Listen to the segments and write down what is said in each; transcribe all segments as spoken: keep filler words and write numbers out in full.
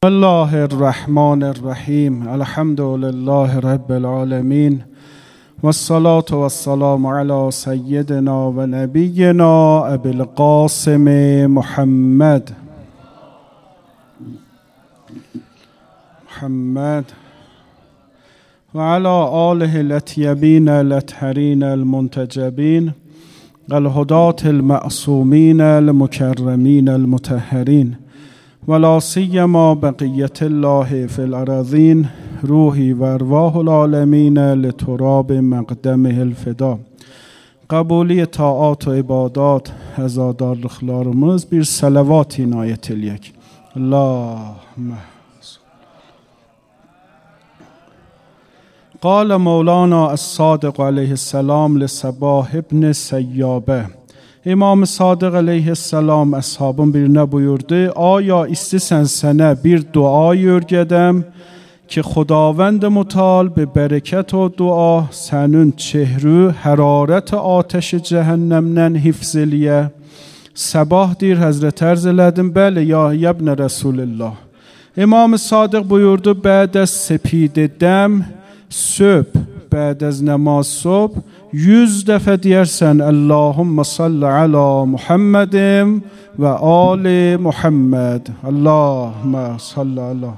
بسم الله الرحمن الرحیم. الحمد لله رب العالمین و الصلاة و السلام علی سیدنا و نبینا ابی القاسم محمد محمد و علی آله الاطیبین الاطهرین المنتجبین الهداة المعصومین المکرمین المطهرین ولا سیما بقیت الله فی الارضین روحی و ارواح العالمین لتراب مقدمه الفدا. قبولی طاعات و عبادات عزادارlıqlarımız bir salavat inayet eləyək. Allahümme قال مولانا الصادق علیه السلام لصباح ابن سیابه. İmam Sadiq aleyhisselam əshabın birinə buyurdu: Aya istəsən sənə bir dua öyrədəm ki, Xudavənd Mütəal be bərəkət o dua sənin çehru hərarət atəş cəhənnəmdən hifz eləyə. Sabah deyir, Həzrət ərz elədim, bəli ya ibn Rasulullah. İmam Sadiq buyurdu: Bəd az sepidədəm söb, bəd az namaz sob yüz dəfə deyərsən Allahümme salli ala Muhammedin və ali Muhammed. Allahümme salli ala.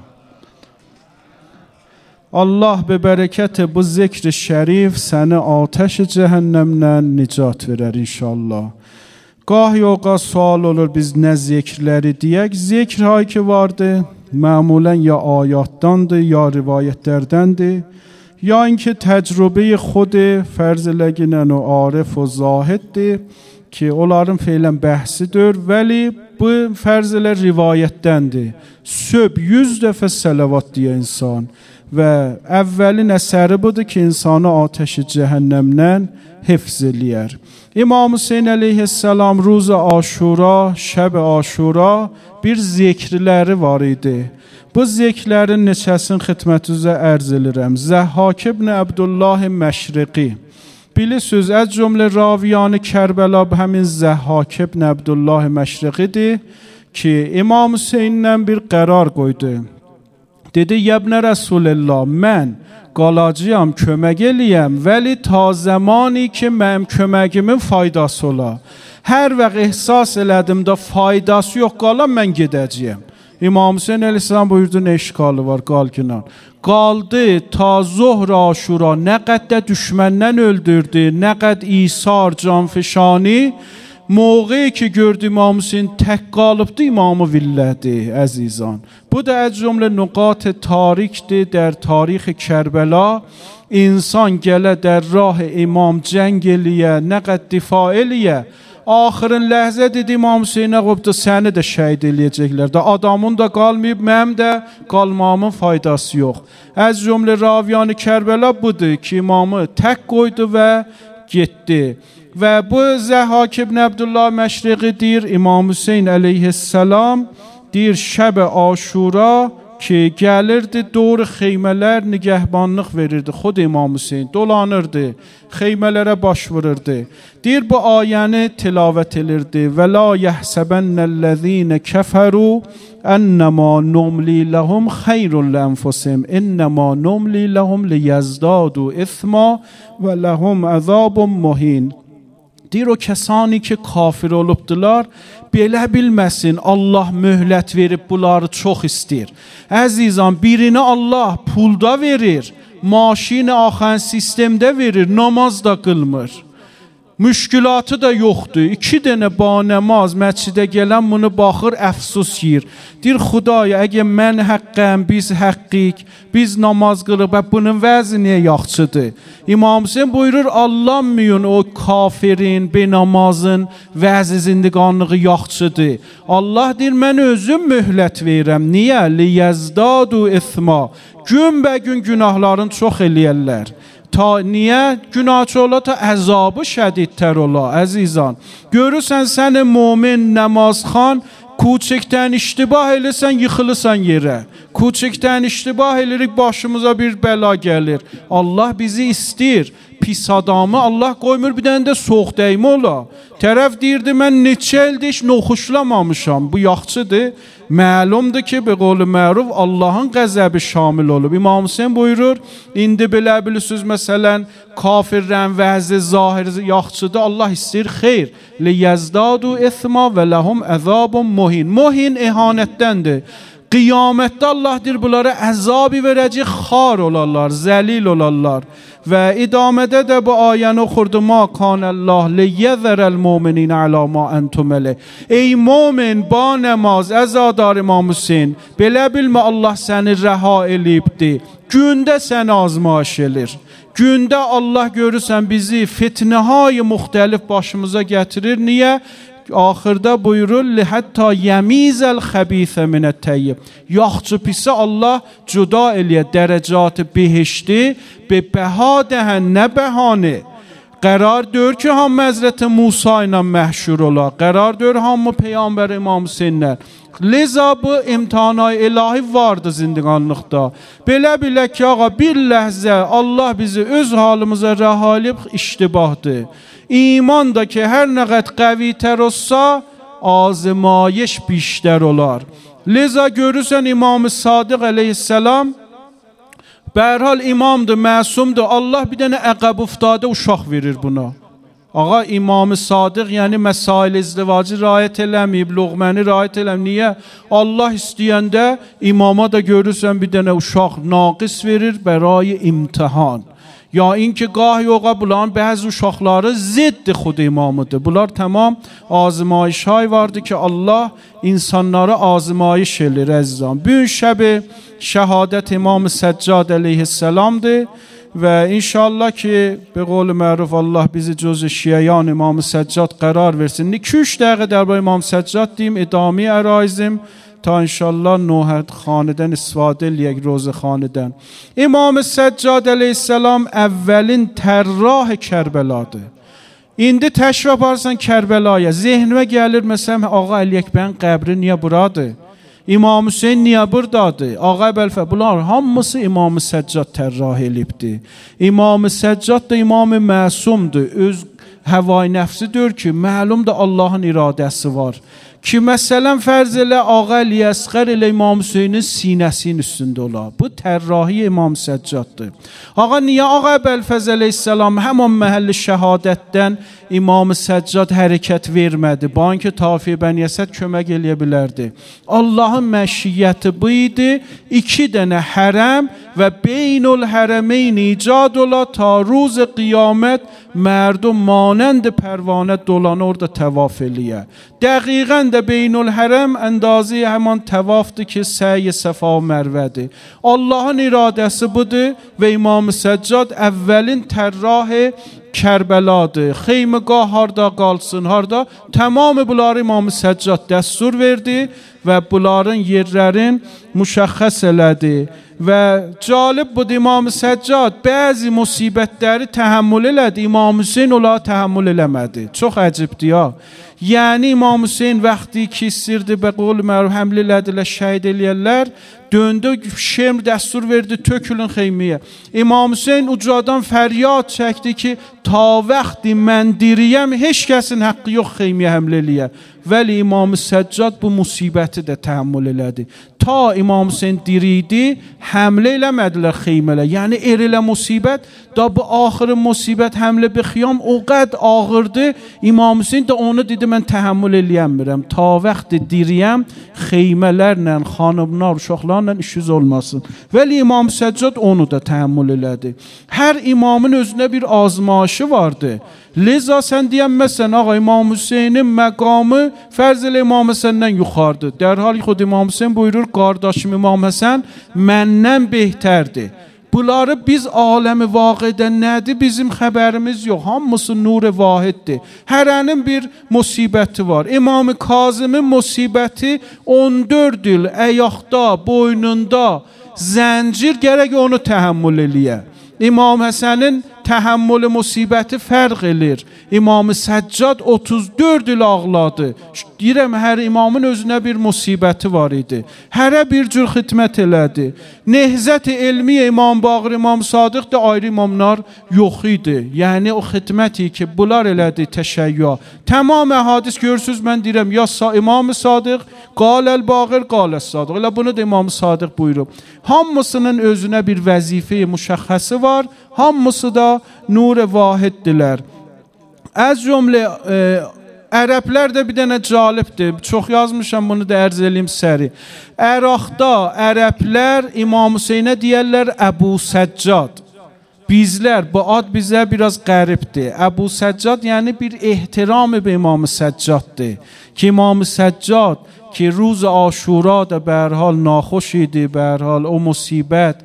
Allah be bərəkəti bu zikr-i şərif səni atəş cəhənnəmdən nicat verər inşallah. Gah yoqa sual olur, biz nə zikrləri deyək? Zikr hay ki vardı, məmulən ya ayatdandır, ya rivayətlərdəndir, یا اینکه تجربه خود فرض لگینن و عارف و زاهدdir ki onların feylən bəhsidir, vəli bu fərzələr rivayətdəndir. Söb yüz dəfə salavat deyə insan və əvvəlin əsəri budur ki, insanı atəşi cəhənnəmdən hifz eləyər. İmam Hüseyin əleyhissalam ruz Aşura, şəb Aşura bir zikrləri var idi. Bu ziklərin neçəsinin xidmətinizə ərz edirəm. Zəhhak ibn Abdullah Məşriqi. Bilirsiniz, az cümlə raviyan Kərbəla həmin Zəhhak ibn Abdullah Məşriqidir ki, İmam Hüseyndən bir qərar qoydu. Dedi, Yəbnə Rəsulullah, mən qalacağam, kömək eləyəm, vəli ta zamani ki, mənim köməgimin faydası ola. Hər vaxt ehsas elədim də faydası yox qalan, mən gedəcəyəm. İmam Hüseyin əleyhissalam buyurdu, nə işgalı var, qal günan. Qaldı ta Zuhr Aşura, nə qədər düşməndən öldürdü, nə qədər İsar, canfişani. Moğəyi ki gördü İmam Hüseyin tək qalıbdı, imamı villədi, əzizan. Bu da az cümlə nüqat tarikdir در tarix Kərbəla. İnsan gələ در rah imam cəng eləyə, nə qədər difa eləyə. Axırın ləhzə dedi İmam Hüseynə qopdu, səni də şəhid eləyəcəklər. Da adamın da qalmayıb, mənim də qalmamın faydası yox. Az cümlə raviyan Kərbəla budur ki, imamı tək qoydu və getdi. Və bu Zəhhak ibn Abdullah Məşriqi deyir, İmam Hüseyin əleyhissalam deyir, şəb Aşura ki, gəlirdi, doğru xeymələr nigəhbanlıq verirdi. Xud İmam Hüseyin dolanırdı, xeymələrə baş vururdu. Deyir, bu ayəni tilavət edirdi. Və la yəhsəbənnəl-ləzīnə kəfəru ennəmā numli ləhum xeyrun lənfusim innəmā numli ləhum liyezdadu isma və ləhum əzabun muhin. Deyir, o kəsani ki, kafir olubdular, belə bilməsin, Allah möhlət verib bunları çox istəyir. Əzizan, birini Allah pulda verir, maşini axan sistemdə verir, namaz da qılmır. Müşkülatı da yoxdur. İki dənə banəmaz məscidə gələn bunu baxır, əfsus yiyir. Deyir, Xudaya, əgər mən həqqəm, biz həqqik, biz namaz qılıb, bunun vəzi niyə yaxçıdır? İmam Hüseyin buyurur, Allahmıyın o kafirin, benamazın vəzi zindiqanlığı yaxçıdır. Allah deyir, mən özüm möhlət verirəm. Niyə? Liyezdadu isma. Gün bə gün günahların çox eləyərlər. Ta niyə günahçı ola, ta əzabı şədidtər ola, əzizan. Görürsən, səni momin, namazxan, Kuçikdən iştibah eləsən, yıxılırsan yerə. Kuçikdən iştibah elərik, başımıza bir bəla gəlir. Allah bizi istəyir. Pis adamı Allah qoymur, bir dənə də soğuk dəymə ola. Tərəf deyirdi, mən neçə ildir heç noxuşlamamışam. Bu yaxçıdır. Məlumdur ki, be qol məruf Allahın qəzəbi şamil olub. İmam Hüseyin buyurur, indi belə bilirsiniz, məsələn, kafirlərin vəzi zahiri yaxşıdır, Allah istəyir xeyr. Liyezdadu isma və ləhum əzabun muhin. Muhin ihanətdəndir. Qiyamətdə Allah deyir, bunlara əzabı verəcək, xar olarlar, zəlil olarlar. Və idamədə də bu ayəni oxurdu, ma kanəllah liyezərəl mu'minin əla ma entum əleyh. Ey mu'min, ba nəmaz, əzadar İmam Hüseyin, belə bilmə Allah səni rəha eləyibdi. Gündə səni azmaş elir. Gündə Allah görürsən bizi fitnəhay müxtəlif başımıza gətirir. Niyə? Axırda buyurur, hətta yəmizəl xəbisə minət təyyib. Yaxçı pisi Allah cüda eləyə, dərəcatı behişti, be bəha dəhən, nə bəhanı. Qərar dör ki, hamı Həzrəti Musa ilə məhşur ola. Qərar dör hamı Peyğəmbər İmam Hüseyinlər. Leza bu imtihanay ilahi vardı zindiqanlıqda. Belə bilə ki, ağa, bir ləhzə Allah bizi öz halımıza rəhalib iştibahdır. İman da ki, hər nə qəd qəvitər olsa, azmayiş biştər olar. Leza görürsən İmam-ı Sadiq əleyhisselam, bərhal imamdır, məsumdur. Allah bir dənə əqəb uftadə uşaq verir buna. Ağa, İmam-ı Sadiq, yəni məsail izdivacı rayət eləməyib, luğməni rayət eləməyib. Niyə? Allah istəyəndə imama da görürsən bir dənə uşaq naqis verir bəray imtihan. Ya اینکه گاه yoğa bulan bəzi uşaqları zidd xud imamıdır. Bunlar tamam azmayış hay vardı ki Allah insanları azmayış elir əzizam. Bu şəbi şəhadət İmam Səccad əleyhisselamdır və inşallah ki be qol məruf Allah bizi cüz şiyan İmam Səccad qərar versin. iki üç dəqiqə dərbar İmam Səccad deyim, idami əraizim تا انشالله نوحد خاندن استفاده یک روز خاندن. İmam Səccad əleyhisselam əvvəlin tərrah Kərbeladır. İndi təşrif aparsan Kərbəlaya, zehnimə gəlir məsələn, Ağa Əli Əkbərin qəbri niyə buradır? İmam Hüseyin niyə buradadır? Ağa Əbəlfə, bunlar hamısı İmam Səccad tərrah elibdir. İmam Səccad da İmam məsumdur. Öz həvai nəfsidir ki, məlumdur Allahın iradəsi var. Ki məsələn fərz elə Ağa Əli Əsqər elə İmam Hüseynin sinəsinin üstündə ola. Bu tərrahi İmam Səccaddır. Ağa niyə Ağa Əbəlfəz əleyhisselam həman məhəlli şəhadətdən İmam Səccad hərəkət vermədi? Banki Tafi Bəniyyəsət kömək eləyə bilərdi. Allahın məşiyyəti bu idi. İki dənə hərəm və beynul hərəmeyn icad ola ta ruz qiyamət mərdum manənd pərvanə dolanı orada təvaf eləyə. Dəqiqən də beynul hərəm əndazı həman təvafdır ki, səy-i səfa mərvədir. Allahın iradəsi budur və İmam Səccad əvvəlin tərrah Kərbəladır. Xeymigah harda qalsın, harda? Tamamı bunları İmam Səccad dəstur verdi və bunların yerlərin müşəxəs elədi. Və calib budur, İmam Səccad bəzi musibətləri təhəmmül elədi, İmam Hüseyin onları təhəmmül eləmədi. Çox əcibdir ya. Yəni İmam Hüseyin vaxtı ki istirdi, bə qol məruf həml elədilər, şəhid eləyərlər, döndü, şemr dəstur verdi, tökülün xeymiyə. İmam Hüseyin ucadan fəryad çəkdi ki, ta vaxtı mən diriyəm, heç kəsin haqqı yox xeymiyə həml eləyə. Vəli İmam Səccad bu musibəti də təhəmmül elədi. Ta İmam Hüseyin diriydi, həmlə eləmədilər xeymələ. Yəni er elə musibət, da bu axırı musibət həmlə bir xiyam o qəd ağırdı. İmam Hüseyin də onu dedi, mən təhəmmül eləyəmirəm. Ta vaxtı diriyəm, xeymələrlə, xanımlar, uşaqlarla işiniz olmasın. Vəli İmam Səccad onu da təhəmmül elədi. Hər imamın özünə bir azmaşı vardı. Leza sən deyənməsən, ağa İmam Hüseynin məqamı fərz elə İmam Həsəndən yuxarıdır. Dərhal xud İmam Hüseyin buyurur, qardaşım İmam Həsən məndən behtərdir. Bunları biz aləmi vaqidə nədir? Bizim xəbərimiz yox. Hamısı nur-i vahiddir. Hərənin bir musibəti var. İmam-ı Kazımın musibəti on dörd il əyaqda, boynunda zəncir gərək onu təhəmmül eləyə. İmam Həsənin Təhəmmül musibəti fərq edir. İmam Səccad otuz dörd il ağladı. Deyirəm, hər imamın özünə bir musibəti var idi. Hərə bir cür xidmət elədi. Nehzət-i elmiyə İmam Baqir, İmam Sadiq da ayrı imamlar yox idi. Yəni o xidməti ki, bunlar elədi təşəyyü. Tamam hədis görürsüz, mən deyirəm, ya İmam Sadiq, qaləl Baqir, qaləl Sadiq. Elə bunu da İmam Sadiq buyurub. Hamısının özünə bir vəzifə müşəxxəsi var. Hamısı da nur-i vahiddirlər. Az cümlə e, ərəblər də bir dənə calibdir. Çox yazmışam, bunu da ərz eləyim səri. Əraqda ərəblər İmam Hüseynə deyərlər Əbu Səccad. Bizlər, bu ad bizə biraz qəribdir. Əbu Səccad yəni bir ehtiramı be İmam Səccaddır. Ki İmam Səccad ki روز عاشورا da به هر حال ناخوش idi, به هر حال o musibət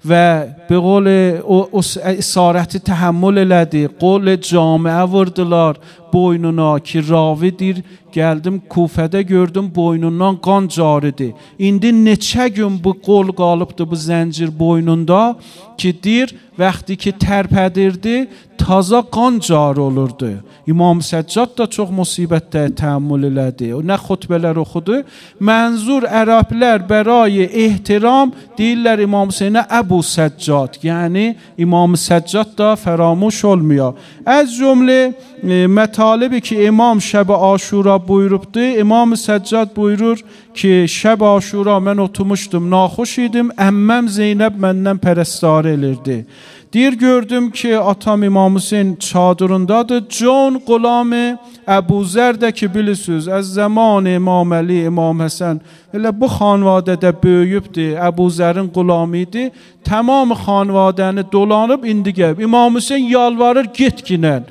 və به قول o, o اسارت تحمل elədi. Qol camiə vurdular boynuna ki ravidir. Gəldim Kufədə gördüm boynundan qan caridir. İndi neçə gün bu qol qalıbdı bu zəncir boynunda ki dir vaxtı ki tərpədirdi taza qan car olurdu. İmam Səccad da çox musibətdə təhammül elədi. O nə xutbələr oxudu. Mənzur ərəblər bərای ehtiram deyirlər İmam Hüseynə Əbu Səccad. Yəni İmam Səccad da fəramuş olmuyor. Az cümlə e, mətalibi ki İmam Şəb-i Aşura buyurubdu. İmam Səccad buyurur ki Şəb-i Aşura mən oturmuşdum, naxoş idim. Əmməm Zeynəb məndən pərəstari elirdi. Deyir gördüm ki atam İmam Hüseyn çadırındadır. Can Qulamı Əbu Zər də ki bilirsiniz az zaman İmam Əli, İmam Həsən elə bu xanvadədə böyüyübdür. Əbu Zərin qulamı idi. Tamam xanvadəni dolanıb indi gəlib. İmam Hüseyn yalvarır get ginən.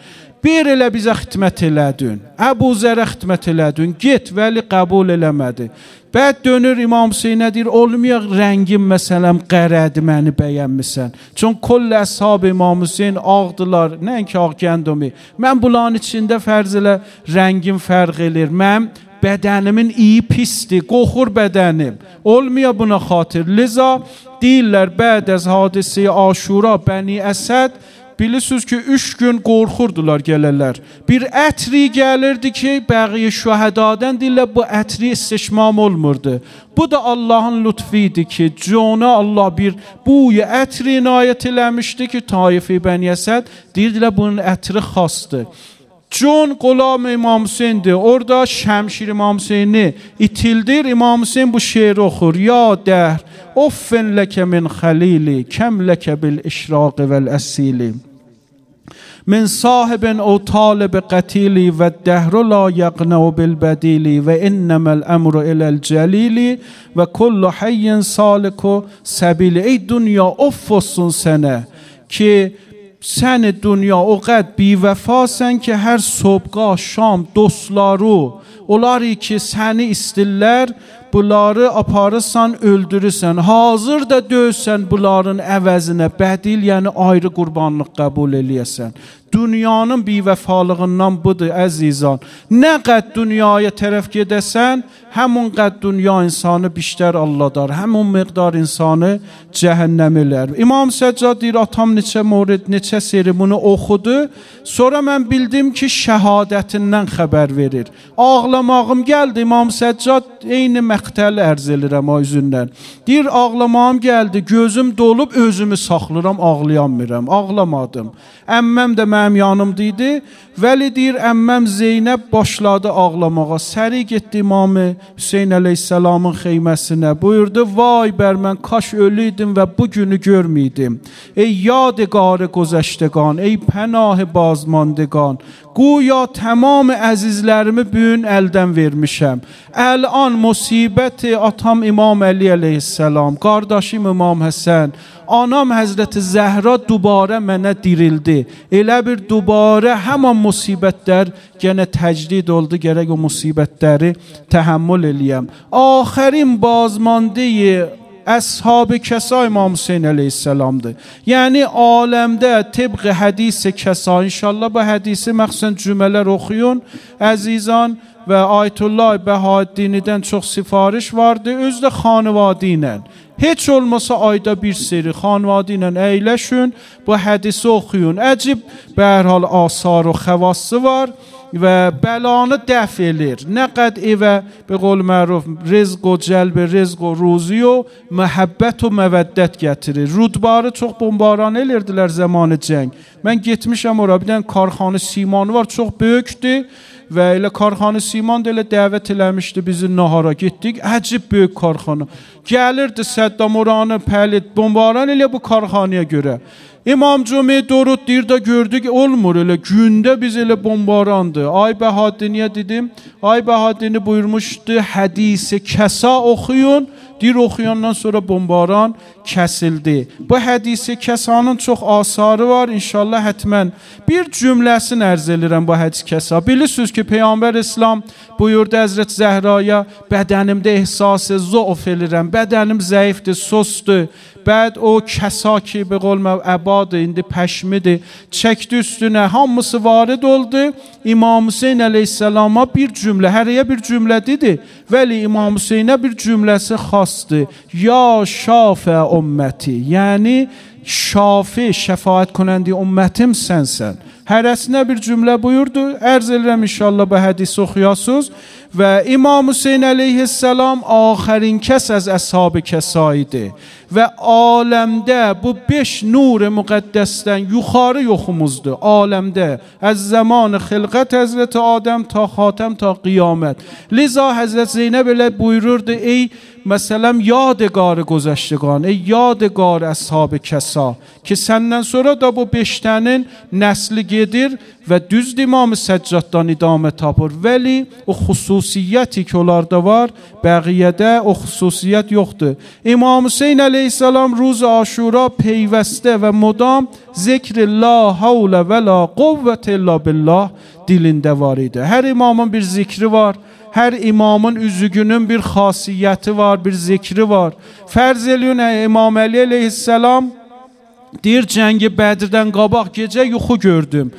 Bir elə bizə xidmət elədin. Əbu Zərə xidmət elədin. Get, vəli qəbul eləmədi. Bəd dönür İmam Hüseynə deyir, olmayaq rəngim məsələm qərədi məni bəyənmisən. Çün kull əshab İmam Hüseyn ağdılar, nəinki ağ gəndumi. Mən bunların içində fərz elə rəngim fərq elir. Mən bədənimin iyi pisdir, qoxur bədənim. Olmuyor buna xatir. Liza deyirlər, bəd az hadisə Aşura, Bəni Əsəd, bilirsiniz ki üç gün qorxurdular gələrlər. Bir ətri gəlirdi ki bəqiyə şühədadan deyirlər bu ətri istişmam olmurdu. Bu da Allahın lütfiydi ki cona Allah bir buyu ətri inayət eləmişdi ki Taif-i Bəni Əsəd deyirdilər bunun ətri xasdır. Con Qulam İmam Hüseyn'dir. Orada Şəmşir İmam Hüseyni itildir. İmam Hüseyn bu şeir oxur. Ya dəhr, offen ləkə min xəlili, kəm ləkə bil işraqi vəl əsili. Min sahibin o talib qətili və dəhru la yəqnəu bil bədili və innəməl əmru iləl cəlili və kullu hayyin saliku səbili. Ey dünya off olsun sənə ki sən dünya o qəd bivəfasən ki hər sobqa, şam, dostları, onları ki səni istillər, bunları aparırsan, öldürürsən, hazır da döysən bunların əvəzinə, bədil, yəni ayrı qurbanlıq qəbul eləyəsən. Dünyanın bivəfalığından budur əzizan. Nə qəd dünyaya tərəf gedəsən, həmun qəd dünya insanı bişdər Allah'dar, həmun miqdar insanı cəhənnəm elər. İmam Səccad deyir, atam neçə morid, neçə seri bunu oxudu. Sonra mən bildim ki şəhadətindən xəbər verir. Ağlamağım gəldi, İmam Səccad eyni məqtəl ərz elirəm o üzündən. Deyir, ağlamağım gəldi, gözüm dolub, özümü saxlıram, ağlayanmıram, ağlamadım. Əmməm də mənim yanımdaydı. Vəli deyir, əmməm Zeynəb başladı ağlamağa. Səri getdi İmam Hüseyn əleyhissalamın xeyməsinə. Buyurdu, vay bər mən kaş ölüydüm və bu günü görməydim. Ey yadigarı gözəştəgan, ey pənahı bazmandıgan. Güya tamam əzizlərimi bugün əldən vermişəm. Əlan musibəti atam İmam Əli əleyhissalam, qardaşım İmam Həsən, anam Həzrəti Zəhra dubarə mənə dirildi. Elə bir dubarə həman musibətlər gənə təcrid oldu, gərək o musibətləri təhəmmül eləyəm. Axərin bazmandeyi Əshab-ı Kəsa İmam Hüseyn əleyhissalamdır. Yəni aləmdə tibq hədis-i Kəsa, inşallah bu hədisi məxsən cümələr oxuyun əzizan və Ayətullah Bəhaəddinidən çox sifariş vardı, özü də xanıvadı ilə. Heç olmasa ayda bir seri xanvadı ilə əyləşün, bu hədisi oxuyun. Əcib به هر حال آثار و خواص var و بلانı dəf elir. Nə qəd evə به قول معروف رزق و جلب رزق و روزی و məhəbbət و məvəddət gətirir. Rudbarı çox bombaran elirdilər zamanı cəng. Mən getmişəm ora, bir dənə karxanı simanı var, çox böyükdür. Və elə karxanı siman da elə dəvət eləmişdi bizi nahara, getdik. Əcib böyük karxana. Gəlirdi Səddam oranı pəlit bombaran elə bu karxanaya görə. İmam Cümi durud deyir də gördük olmur elə gündə biz elə bombarandı. Ay Bəhadiniyə dedim. Ay Bəhadini buyurmuşdu hədisi kəsa oxuyun. Deyir oxuyandan sonra bombaran kəsildi. Bu hədisi kəsanın çox asarı var. İnşallah hətmən bir cümləsini ərz edirəm bu hədis kəsa. Bilirsiniz ki Peyğəmbər İslam buyurdu Həzrət Zəhraya bədənimdə ehsası zəuf edirəm. Bədənim zəifdir, sostur. Bəd o kəsa ki به قول əbadı indi pəşmidir. Çəkdi üstünə hamısı varid oldu. İmam Hüseyin əleyhissalama bir cümlə, hərəyə bir cümlə dedi. Vəli İmam Hüseynə bir cümləsi xasdı. Ya şafə ümməti. Yəni şafi, şəfaət konəndi ümmətim sənsən. Hərəsinə bir cümlə buyurdu. Ərz edirəm inşallah bu hədisi oxuyasınız. Və İmam Hüseyin əleyhissalam axərin kəs az əshab kəsa idi. Və aləmdə bu beş nur müqəddəsdən yuxarı yoxumuzdur. Aləmdə az zaman xilqət Həzrət Adəm ta xatəm ta qiyamət. Liza Həzrət Zeynəb elə buyururdu ey məsələn yadgar گذشتگان ey yadgar əshab kəsa ki səndən sonra da bu beşdənin nəsli gedir və düz İmam Səccaddan idamə tapır. Vəli o xüsusiyyəti ki onlarda var, bəqiyyədə o xüsusiyyət yoxdur. İmam Hüseyin əleyhissalam روز عاشورا پیوسته و مدام ذکر لا حول ولا قوة الا بالله dilində var idi. Hər imamın bir zikri var. Hər imamın üzügünün bir xasiyyəti var, bir zikri var. Fərz eləyin İmam Əli əleyhissalam deyir cəngi Bədirdən qabaq gecə yuxu gördüm.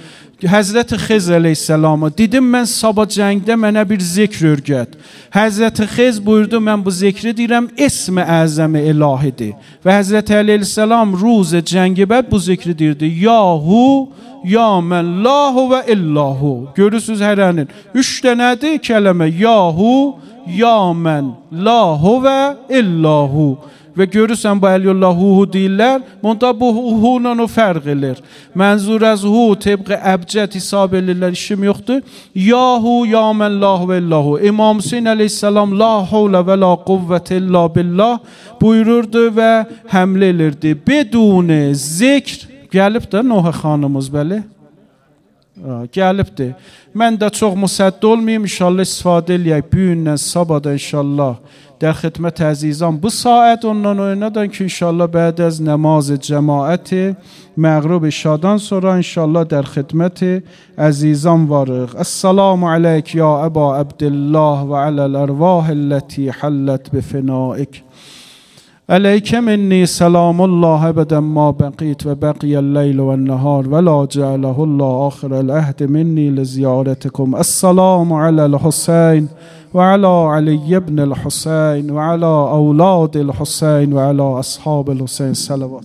Həzrəti Xiz əleyhissalama dedim mən sabah cəngdə mənə bir zikr öyrət. Həzrəti Xiz buyurdu mən bu zikri deyirəm ismi əzəmi ilahidir. Və Həzrəti Əli əleyhissalam ruz cəngi bəd bu zikri deyirdi. Yahu ya mən lahu və illahu. Görürsünüz hərənin. Üç dənədir kələmə. Yahu ya mən lahu və illahu. Və görürsən bu Əliyullahu deyirlər, monta bu hu ilə o fərq edir. Mənzur az hu təbqə əbcət hesab edirlər, işim yoxdur. Yahu ya mən lahu və illahu. İmam Hüseyin əleyhissalam la havlə və la quvvət illa billah buyururdu və həmlə edirdi. Bedun zikr gəlib də Nohə xanımız bəli. Gəlibdir. Mən də çox müsədd olmayayım, inşallah istifadə eləyək. Bu gündən sabahda inşallah در خدمت عزیزان bu saat ondan oynadan ki inşallah بعد از نماز جماعت مغرب شادان sonra inşallah در خدمت عزیزان varıq. السلام عليك يا أبا عبد الله وعلى الأرواح التي حلت بفنائك. عليك مني سلام الله أبدا ما بقيت وبقي الليل والنهار ولا جعله الله آخر العهد مني لزيارتكم. السلام على الحسين وعلى علي بن الحسين وعلى أولاد الحسين وعلى أصحاب الحسين صلوات.